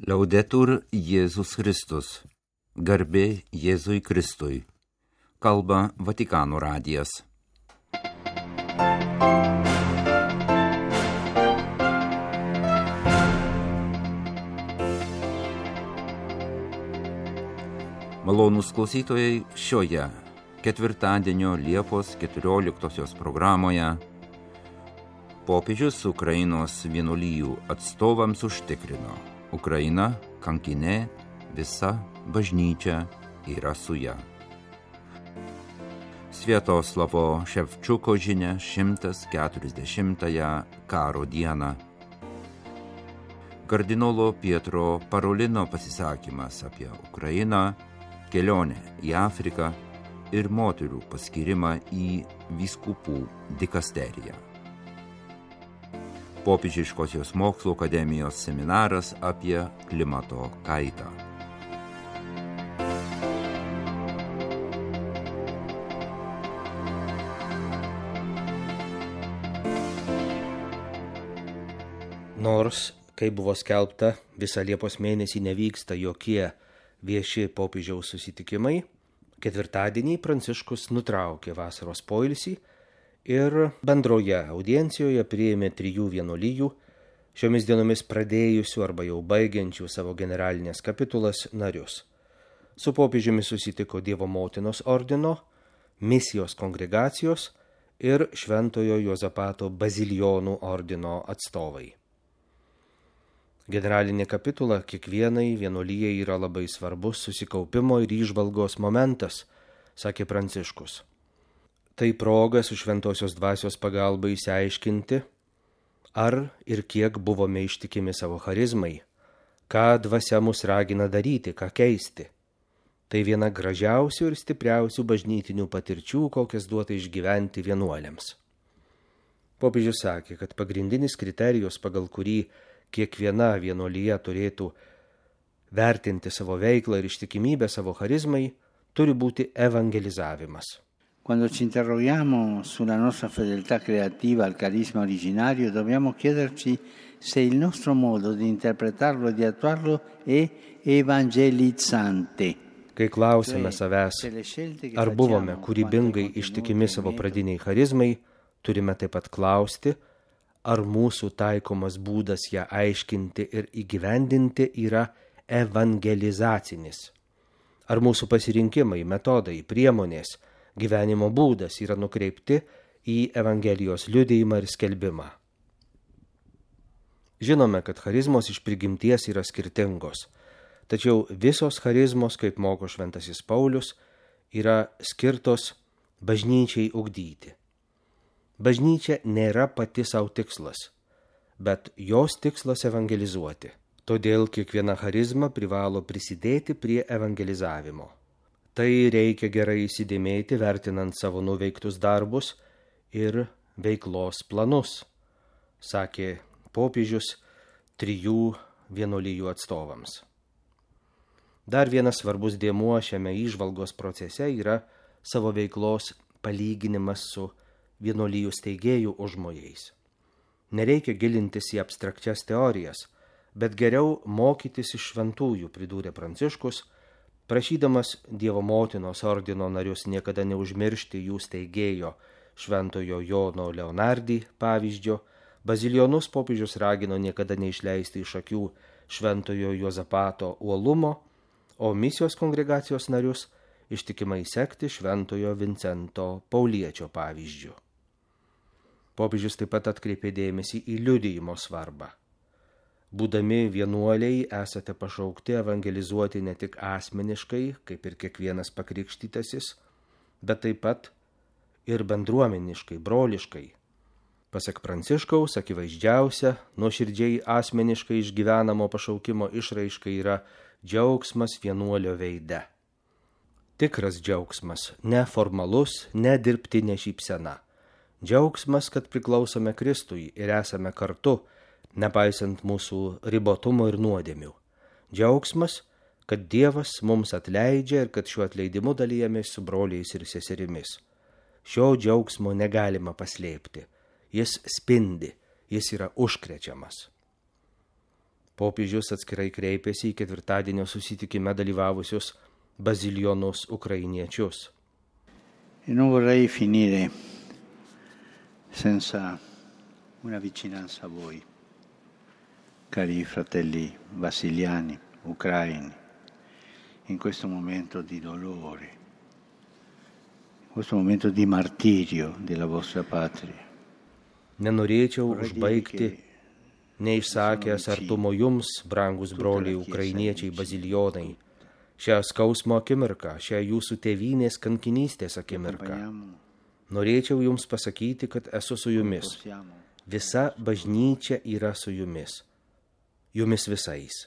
Laudetur Jėzus Kristus. Garbė Jėzui Kristui. Kalba Vatikano radijas. Malonūs klausytojai, šioje ketvirtadienio Liepos 14 programoje popiežius Ukrainos vienuolijų atstovams užtikrino: Ukraina kankinė, visa bažnyčia yra su ja. Sviatoslavo Ševčiuko žinia 140-ąją karo dieną. Kardinolo Pietro Parolino pasisakymas apie Ukrainą, kelionę į Afriką ir moterų paskyrimą į vyskupų dikasteriją. Popiežiškosios mokslo akademijos seminaras apie klimato kaitą. Nors, kaip buvo skelbta, visą Liepos mėnesį nevyksta jokie vieši popiežiaus susitikimai, ketvirtadienį Pranciškus nutraukė vasaros poilsį ir bendroje audiencijoje priėmė 3 vienuolijų, šiomis dienomis pradėjusių arba jau baigiančių savo generalinės kapitulas narius. Su popiežiumi susitiko Dievo motinos ordino, misijos kongregacijos ir Šventojo Juozapato bazilijonų ordino atstovai. Generalinė kapitula kiekvienai vienuolijai yra labai svarbus susikaupimo ir įžvalgos momentas, sakė Pranciškus. Tai proga su šventosios dvasios pagalba išsiaiškinti, ar ir kiek buvome ištikimi savo charizmai, ką dvasia mus ragina daryti, ką keisti. Tai viena gražiausių ir stipriausių bažnytinių patirčių, kokias duota išgyventi vienuoliams. Popiežius sakė, kad pagrindinis kriterijus, pagal kurį kiekviena vienuolija turėtų vertinti savo veiklą ir ištikimybę savo charizmai, turi būti evangelizavimas. Quando ci interroghiamo sulla nostra fedeltà creativa al carisma originario, dobbiamo chiederci se il nostro modo di interpretarlo e di attuarlo è evangelizzante. Kai klausime savęs, ar buvome kūrybingai ištikimi savo pradiniai charizmai, turime taip pat klausti, ar mūsų taikomas būdas ją aiškinti ir įgyvendinti yra evangelizacinis. Ar mūsų pasirinkimai, metodai, priemonės, gyvenimo būdas yra nukreipti į Evangelijos liudijimą ir skelbimą. Žinome, kad charizmos iš prigimties yra skirtingos, tačiau visos charizmos, kaip moko šventasis Paulius, yra skirtos bažnyčiai ugdyti. Bažnyčia nėra pati savo tikslas, bet jos tikslas evangelizuoti. Todėl kiekviena charizma privalo prisidėti prie evangelizavimo. Tai reikia gerai įsidėmėti, vertinant savo nuveiktus darbus ir veiklos planus, sakė popiežius 3 vienuolijų atstovams. Dar vienas svarbus dėmuo šiame įžvalgos procese yra savo veiklos palyginimas su vienuolijų steigėjų užmojais. Nereikia gilintis į abstrakčias teorijas, bet geriau mokytis iš šventųjų, pridūrė Pranciškus, prašydamas Dievo motinos ordino narius niekada neužmiršti jų steigėjo Šventojo Jono Leonardį pavyzdžio, bazilijonus popiežius ragino niekada neišleisti iš akių Šventojo Juozapato uolumo, o misijos kongregacijos narius ištikimai sekti Šventojo Vincento Pauliečio pavyzdžiu. Popiežius taip pat atkreipė dėmesį į liudijimo svarbą. Būdami vienuoliai esate pašaukti evangelizuoti ne tik asmeniškai, kaip ir kiekvienas pakrikštytasis, bet taip pat ir bendruomeniškai, broliškai. Pasak Pranciškaus, akivaizdžiausia, nuoširdžiai asmeniškai išgyvenamo pašaukimo išraiška yra džiaugsmas vienuolio veide. Tikras džiaugsmas, ne formalus, ne dirbtinė šypsena. Džiaugsmas, kad priklausome Kristui ir esame kartu, nepaisant mūsų ribotumo ir nuodėmių. Džiaugsmas, kad Dievas mums atleidžia ir kad šiuo atleidimu dalijamės su broliais ir seserimis. Šio džiaugsmo negalima paslėpti. Jis spindi, jis yra užkrečiamas. Popiežius atskirai kreipėsi į ketvirtadienio susitikime dalyvavusius bazilijonus ukrainiečius. E non vorrei finire senza una vicinanza a voi, cari fratelli basiliani, ucraini, in questo momento di dolore, in questo momento di martirio della vostra patria. Nenorėčiau užbaigti neišsakęs artumo jums, brangus broliai ukrainiečiai bazilijonai, šią skausmo akimirką, šią jūsų tėvynės kankinystės akimirką. Norėčiau jums pasakyti, kad esu su jumis. Visa bažnyčia yra su jumis. Jumis visais.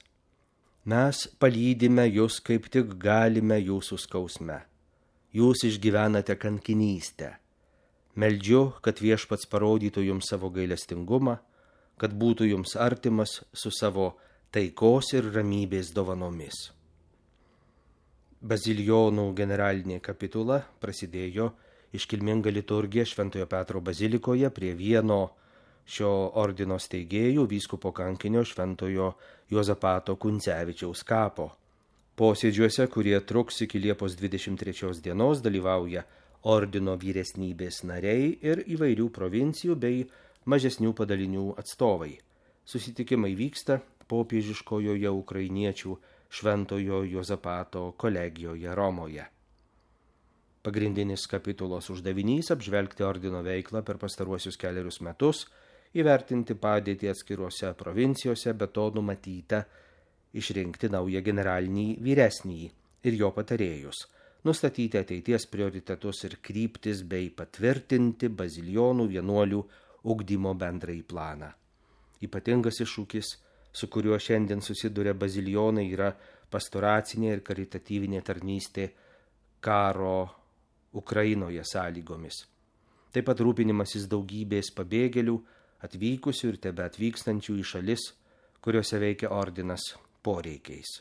Mes palydime jūs, kaip tik galime jūsų skausme. Jūs išgyvenate kankinystę. Meldžiu, kad Viešpats parodytų jums savo gailestingumą, kad būtų jums artimas su savo taikos ir ramybės dovanomis. Bazilijonų generalinė kapitula prasidėjo iškilminga liturgija Šventojo Petro bazilikoje prie vieno šio ordino steigėjų vyskupo kankinio Šventojo Juozapato Kuncevičiaus kapo. Posėdžiuose, kurie truks iki Liepos 23 dienos, dalyvauja ordino vyresnybės nariai ir įvairių provincijų bei mažesnių padalinių atstovai. Susitikimai vyksta popiežiškojoje ukrainiečių Šventojo Juozapato kolegijoje Romoje. Pagrindinis kapitulos uždavinys apžvelgti ordino veiklą per pastaruosius 4 metus, įvertinti padėtį atskiruose provincijose, be to numatyta išrinkti naują generalinį vyresnįjį ir jo patarėjus, nustatyti ateities prioritetus ir kryptis bei patvirtinti bazilijonų vienuolių ugdymo bendrąjį planą. Ypatingas iššūkis, su kuriuo šiandien susiduria bazilijonai, yra pastoracinė ir karitatyvinė tarnystė karo Ukrainoje sąlygomis. Taip pat rūpinimasis daugybės pabėgėlių, atvykusių ir tebe atvykstančių į šalis, kuriuose veikia ordinas poreikiais.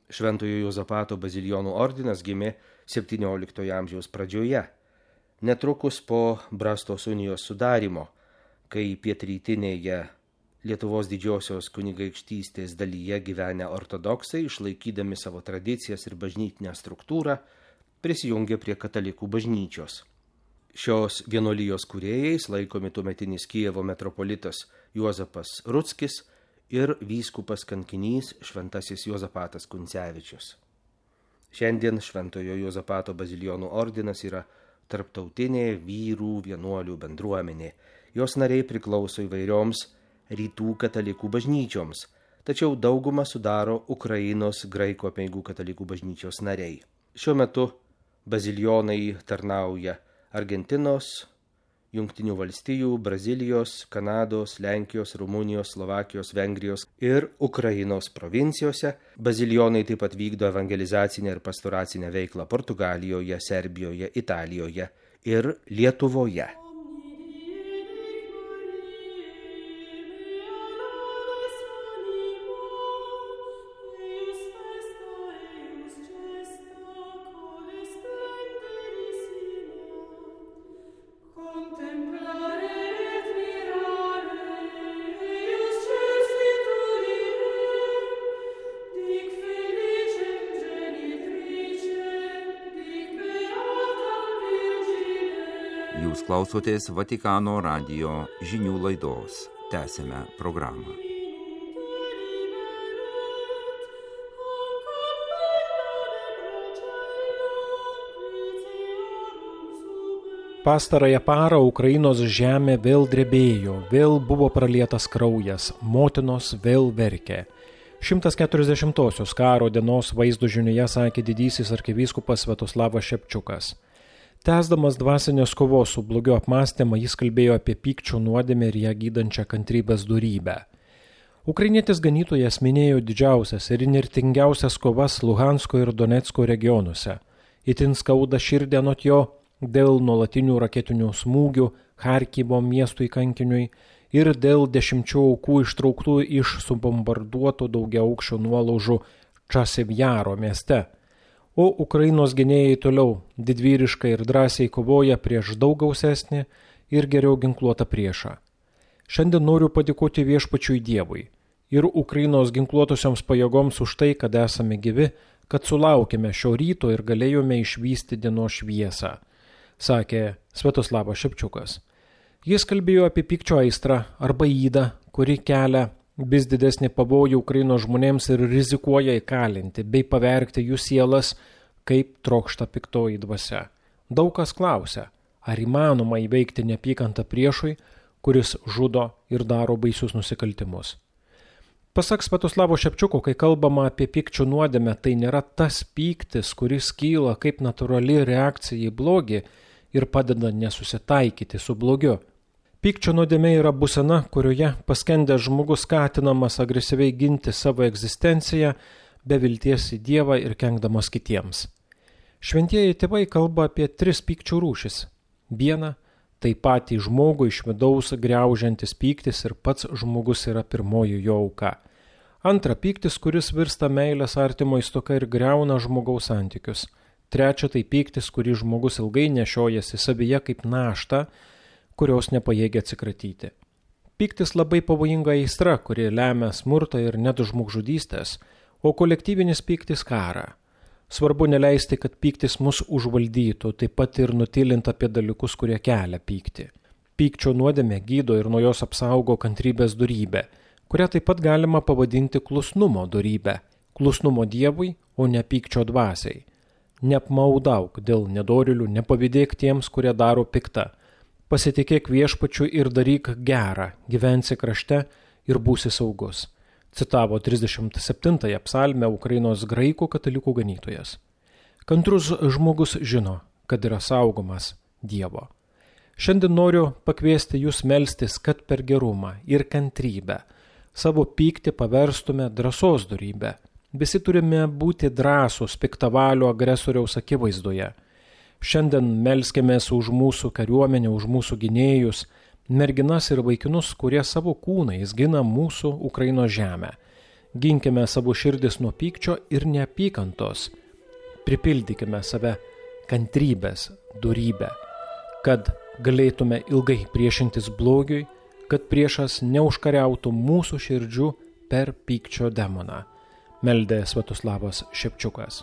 Šventojo Juozapato bazilijonų ordinas gimė 17 amžiaus pradžioje, netrukus po Brastos unijos sudarymo, kai pietrytinėje Lietuvos didžiosios kunigaikštystės dalyje gyvenę ortodoksai, išlaikydami savo tradicijas ir bažnytinę struktūrą, prisijungė prie katalikų bažnyčios. Šios vienuolijos kūrėjais laikomi tuometinis Kijevo metropolitas Juozapas Rutskis ir vyskupas kankinys Šventasis Juozapatas Kuncevičius. Šiandien Šventojo Juozapato bazilijonų ordinas yra tarptautinė vyrų vienuolių bendruomenė. Jos nariai priklauso įvairioms rytų katalikų bažnyčioms, tačiau daugumą sudaro Ukrainos graikų apeigų katalikų bažnyčios nariai. Šiuo metu bazilijonai tarnauja Argentinos, Jungtinių valstijų, Brazilijos, Kanados, Lenkijos, Rumunijos, Slovakijos, Vengrijos ir Ukrainos provincijose. Bazilijonai taip pat vykdo evangelizacinę ir pastoracinę veiklą Portugalijoje, Serbijoje, Italijoje ir Lietuvoje. Jūs klausotės Vatikano radijo žinių laidos. Tęsime programą. Pastarąją parą Ukrainos žemė vėl drebėjo, vėl buvo pralietas kraujas, motinos vėl verkė. 140-osios karo dienos vaizdo žinioje sakė didysis arkivyskupas Sviatoslavas Šepčiukas. Tęsdamas dvasinės kovos su blogiu apmąstymą, jis kalbėjo apie pykčio nuodėmę ir ją gydančią kantrybės dorybę. Ukrainietis ganytojas minėjo didžiausias ir įnirtingiausias kovas Luhansko ir Donecko regionuose. Itin skauda širdį anot jo dėl nuolatinių raketinių smūgių Charkivo miestui kankiniui ir dėl 10 aukų ištrauktų iš subombarduotų daugiaaukščių nuolaužų Časivjaro mieste. O Ukrainos gynėjai toliau didvyriškai ir drąsiai kovoja prieš daug gausesnį ir geriau ginkluotą priešą. Šiandien noriu padėkoti viešpačiui Dievui ir Ukrainos ginkluotosioms pajėgoms už tai, kad esame gyvi, kad sulaukėme šio ryto ir galėjome išvysti dienos šviesą, sakė Sviatoslavas Šepčiukas. Jis kalbėjo apie pykčio aistrą arba įdą, kuri kelia vis didesnį pavojų Ukrainos žmonėms ir rizikuoja įkalinti bei pavergti jų sielas, kaip trokšta piktoji dvasia. Daug kas klausia, ar įmanoma įveikti neapykantą priešui, kuris žudo ir daro baisius nusikaltimus. Pasak Sviatoslavo Šepčiuko, kai kalbama apie pykčio nuodėmę, tai nėra tas pyktis, kuris kyla kaip natūrali reakcija į blogį ir padeda nesusitaikyti su blogiu. Pykčio nuodėmė yra būsena, kurioje paskendęs žmogus skatinamas agresyviai ginti savo egzistenciją, be vilties į Dievą ir kenkdamas kitiems. Šventieji tėvai kalba apie 3 pykčio rūšis. Viena – tai patį žmogų iš vidaus griaužiantis pyktis ir pats žmogus yra pirmoji jo auka. Antra – pyktis, kuris virsta meilės artimo stoka ir griauna žmogaus santykius. Trečia – tai pyktis, kurį žmogus ilgai nešiojasi savyje kaip naštą, kurios nepajėgia atsikratyti. Pyktis labai pavojinga aistra, kuri lemia smurtą ir net žmogžudystės, o kolektyvinis pyktis karą. Svarbu neleisti, kad pyktis mus užvaldytų, taip pat ir nutilint apie dalykus, kurie kelia pyktį. Pykčio nuodėmė gydo ir nuo jos apsaugo kantrybės dorybę, kurią taip pat galima pavadinti klusnumo dorybę, klusnumo Dievui, o ne pykčio dvasiai. Neapmaudauk dėl nedorėlių, nepavydėk tiems, kurie daro piktą. Pasitikėk viešpačiu ir daryk gerą, gyvensi krašte ir būsi saugus. Citavo 37 psalmę Ukrainos graikų katalikų ganytojas. Kantrus žmogus žino, kad yra saugomas Dievo. Šiandien noriu pakviesti jūs melstis, kad per gerumą ir kantrybę savo pyktį paverstume drąsos dorybę. Visi turime būti drąsūs piktavalio agresoriaus akivaizdoje. Šiandien melskimės už mūsų kariuomenę, už mūsų gynėjus, merginas ir vaikinus, kurie savo kūnais gina mūsų Ukrainos žemę. Ginkime savo širdis nuo pykčio ir neapykantos. Pripildykime save kantrybės dorybę, kad galėtume ilgai priešintis blogiui, kad priešas neužkariautų mūsų širdžių per pykčio demoną. Meldė Sviatoslavas Šepčiukas.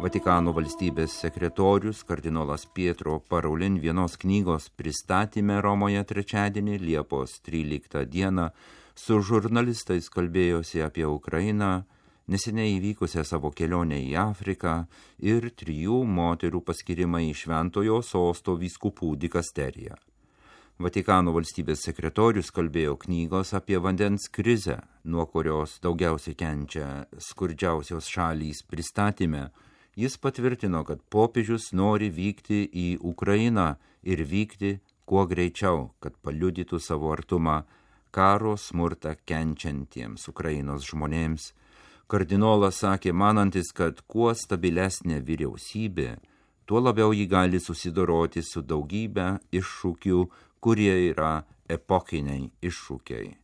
Vatikano valstybės sekretorius kardinolas Pietro Parolin vienos knygos pristatyme Romoje trečiadienį, Liepos 13 dieną, su žurnalistais kalbėjosi apie Ukrainą, neseniai įvykusią savo kelionę į Afriką ir 3 moterų paskirimą į Šventojo Sosto vyskupų dikasteriją. Vatikano valstybės sekretorius kalbėjo knygos apie vandens krizę, nuo kurios daugiausiai kenčia skurdžiausios šalys pristatyme. Jis patvirtino, kad popiežius nori vykti į Ukrainą ir vykti kuo greičiau, kad paliudytų savo artumą karo smurtą kenčiantiems Ukrainos žmonėms. Kardinolas sakė, manantis, kad kuo stabilesnė vyriausybė, tuo labiau ji gali susidoroti su daugybė iššūkių, kurie yra epokiniai iššūkiai.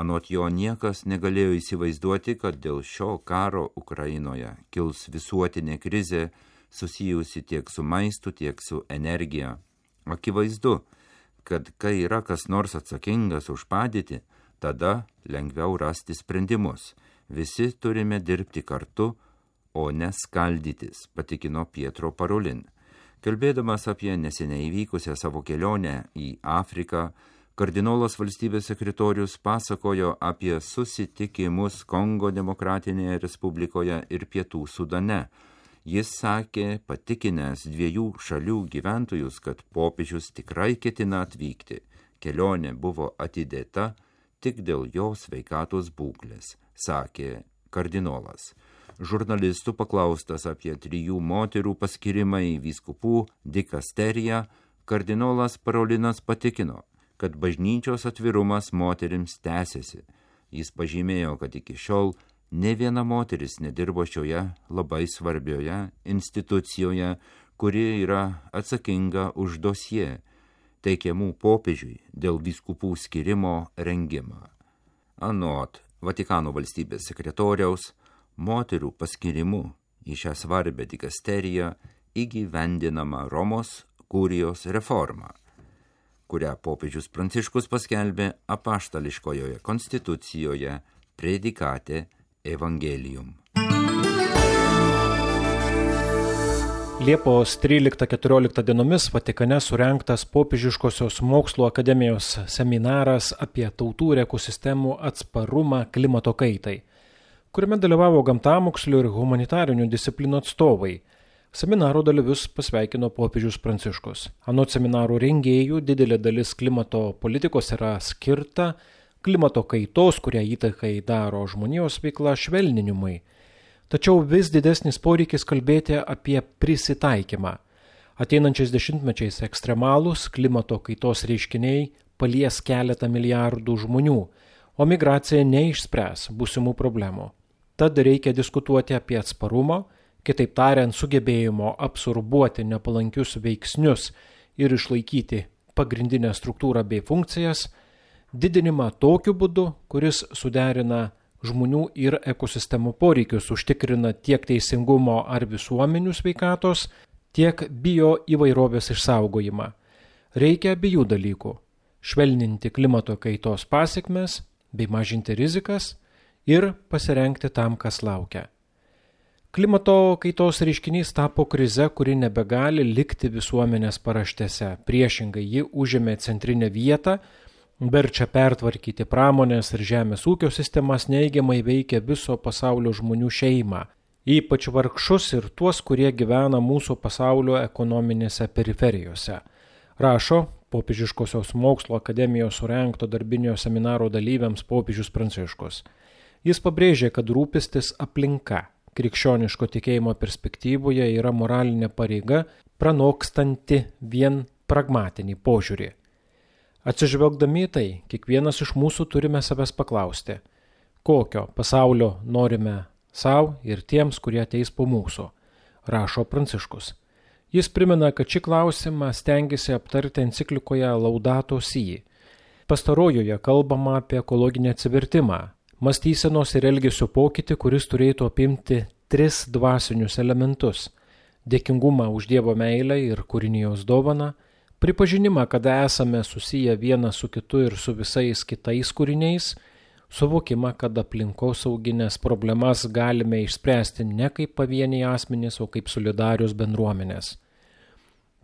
Anot jo niekas negalėjo įsivaizduoti, kad dėl šio karo Ukrainoje kils visuotinė krizė susijusi tiek su maistu, tiek su energija. Akivaizdu, kad kai yra kas nors atsakingas už padėtį, tada lengviau rasti sprendimus. Visi turime dirbti kartu, o ne skaldytis, patikino Pietro Parolin. Kalbėdamas apie neseniai įvykusią savo kelionę į Afriką, kardinolas valstybės sekretorius pasakojo apie susitikimus Kongo Demokratinėje Respublikoje ir Pietų Sudane. Jis sakė, patikinęs 2 šalių gyventojus, kad popiežius tikrai ketina atvykti. Kelionė buvo atidėta tik dėl jo sveikatos būklės, sakė kardinolas. Žurnalistų paklaustas apie 3 moterų paskirimą į vyskupų dikasteriją, kardinolas Parolinas patikino, kad bažnyčios atvirumas moterims tęsiasi. Jis pažymėjo, kad iki šiol ne viena moteris nedirbo šioje labai svarbioje institucijoje, kuri yra atsakinga už dosie teikiamų popiežiui dėl vyskupų skirimo rengimą. Anot Vatikano valstybės sekretoriaus, moterų paskirimu į šią svarbę dikasteriją įgyvendinama Romos kurijos reforma, kurią popiežius Pranciškus paskelbė apaštališkojoje konstitucijoje Predicate Evangelium. Liepos 13-14 dienomis Vatikane surengtas Popiežiškosios mokslo akademijos seminaras apie tautų ir ekosistemų atsparumą klimato kaitai, kuriame dalyvavo gamtamokslių ir humanitarinių disciplinų atstovai. Seminaro dalyvius pasveikino popiežius Pranciškus. Anot seminaro rengėjų, didelė dalis klimato politikos yra skirta klimato kaitos, kurią įtakai daro žmonijos veikla, švelninimui. Tačiau vis didesnis poreikis kalbėti apie prisitaikymą. Ateinančiais dešimtmečiais ekstremalūs klimato kaitos reiškiniai palies keletą milijardų žmonių, o migracija neišspręs būsimų problemų. Tad reikia diskutuoti apie atsparumo, kitaip tariant, sugebėjimo absorbuoti nepalankius veiksnius ir išlaikyti pagrindinę struktūrą bei funkcijas, didinimą tokiu būdu, kuris suderina žmonių ir ekosistemų poreikius, užtikrina tiek teisingumo ar visuomenių sveikatos, tiek bio įvairovės išsaugojimą. Reikia abiejų dalykų – švelninti klimato kaitos pasekmes bei mažinti rizikas ir pasirengti tam, kas laukia. Klimato kaitos reiškinys tapo krize, kuri nebegali likti visuomenės paraštėse. Priešingai, ji užėmė centrinę vietą, verčia pertvarkyti pramonės ir žemės ūkio sistemas, neigiamai veikia viso pasaulio žmonių šeimą, ypač vargšus ir tuos, kurie gyvena mūsų pasaulio ekonominėse periferijose. Rašo Popiežiškosios mokslo akademijos surengto darbinio seminaro dalyviams popiežius Pranciškus. Jis pabrėžė, kad rūpestis aplinka krikščioniško tikėjimo perspektyvoje yra moralinė pareiga, pranokstanti vien pragmatinį požiūrį. Atsižvelgdami tai, kiekvienas iš mūsų turime savęs paklausti, kokio pasaulio norime savo ir tiems, kurie ateis po mūsų, rašo Pranciškus. Jis primena, kad šį klausimą stengiasi aptarti enciklikoje Laudato Si. Pastarojoje kalbama apie ekologinį atsivertimą, mąstysenos ir elgesio pokytį, kuris turėtų apimti 3 dvasinius elementus – dėkingumą už Dievo meilę ir kūrinijos dovaną, pripažinimą, kad esame susiję vienas su kitu ir su visais kitais kūriniais, suvokimą, kad aplinkosauginės problemas galime išspręsti ne kaip pavieniai asmenys, o kaip solidarios bendruomenės.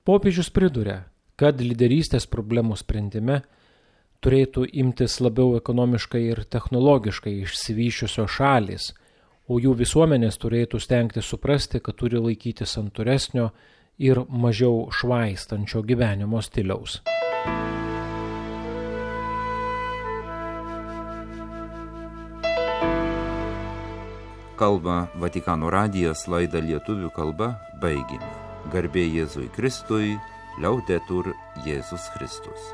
Popiežius priduria, kad lyderystės problemų sprendime turėtų imtis labiau ekonomiškai ir technologiškai išsivysčiusios šalys, o jų visuomenės turėtų stengti suprasti, kad turi laikytis santūresnio ir mažiau švaistančio gyvenimo stiliaus. Kalba Vatikano radijas, laidą lietuvių kalba baigėme. Garbė Jėzui Kristui, Liaudetur Jėzus Kristus.